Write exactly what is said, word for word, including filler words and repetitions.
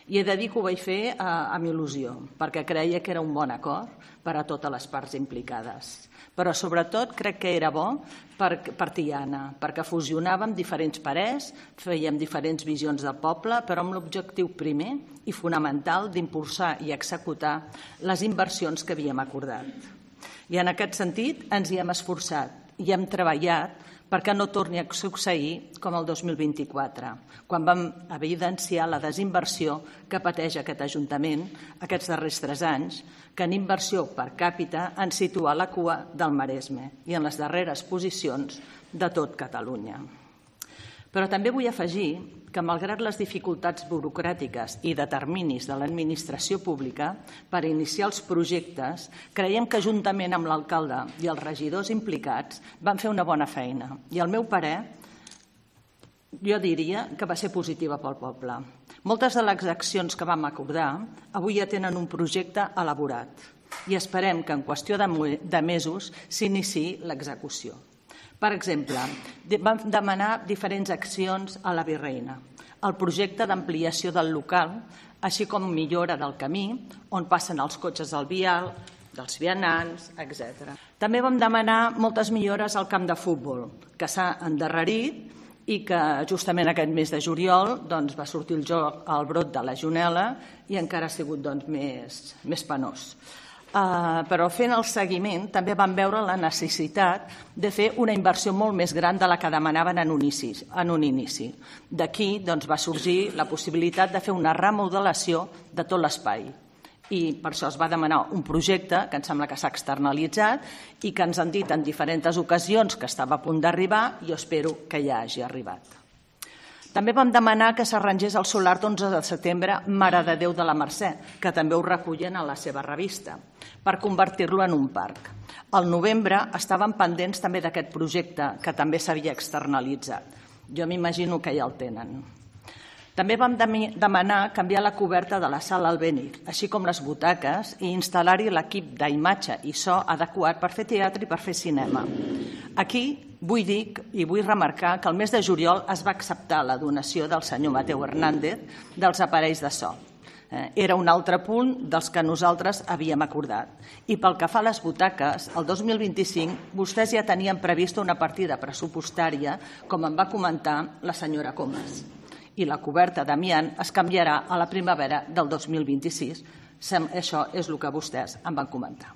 I he de dir que ho vaig fer amb il·lusió, perquè creia que era un bon acord per a totes les parts implicades. Però sobretot crec que era bo per Tiana, perquè fusionàvem diferents parers, fèiem diferents visions del poble, però amb l'objectiu primer i fonamental d'impulsar i executar les inversions que havíem acordat. I en aquest sentit ens hi hem esforçat i hem treballat perquè no torni a succeir com el dos mil vint-i-quatre, quan vam evidenciar la desinversió que pateix aquest Ajuntament aquests darrers tres anys, que en inversió per càpita ens situa a la cua del Maresme i en les darreres posicions de tot Catalunya. Però també vull afegir que, malgrat les dificultats burocràtiques i de terminis de l'administració pública per iniciar els projectes, creiem que juntament amb l'alcalde i els regidors implicats van fer una bona feina. I al meu parer, jo diria que va ser positiva pel poble. Moltes de les accions que vam acordar avui ja tenen un projecte elaborat i esperem que en qüestió de mesos s'iniciï l'execució. Per exemple, vam demanar diferents accions a la Virreina, el projecte d'ampliació del local, així com millora del camí, on passen els cotxes del vial, dels vianants, etcètera. També vam demanar moltes millores al camp de futbol, que s'ha endarrerit i que justament aquest mes de juliol va sortir el joc al brot de la Legionel·la i encara ha sigut més penós. Però fent el seguiment també vam veure la necessitat de fer una inversió molt més gran de la que demanaven en un inici. D'aquí va sorgir la possibilitat de fer una remodelació de tot l'espai. I per això es va demanar un projecte que em sembla que s'ha externalitzat i que ens han dit en diferents ocasions que estava a punt d'arribar i jo espero que ja hagi arribat. També vam demanar que s'arrangés el solar d'onze de setembre Mare de Déu de la Mercè, que també ho recullen a la seva revista, per convertir-lo en un parc. Al novembre estaven pendents també d'aquest projecte, que també s'havia externalitzat. Jo m'imagino que ja el tenen. També vam demanar canviar la coberta de la sala Albéniz, així com les butaques, i instal·lar-hi l'equip d'imatge i so adequat per fer teatre i per fer cinema. Aquí vull dir i vull remarcar que el mes de juliol es va acceptar la donació del senyor Mateu Hernández dels aparells de so. Era un altre punt dels que nosaltres havíem acordat. I pel que fa a les butaques, el dos mil vint-i-cinc vostès ja tenien prevista una partida pressupostària, com em va comentar la senyora Comas. I la coberta d'amiant es canviarà a la primavera del dos mil vint-i-sis. Això és el que vostès em van comentar.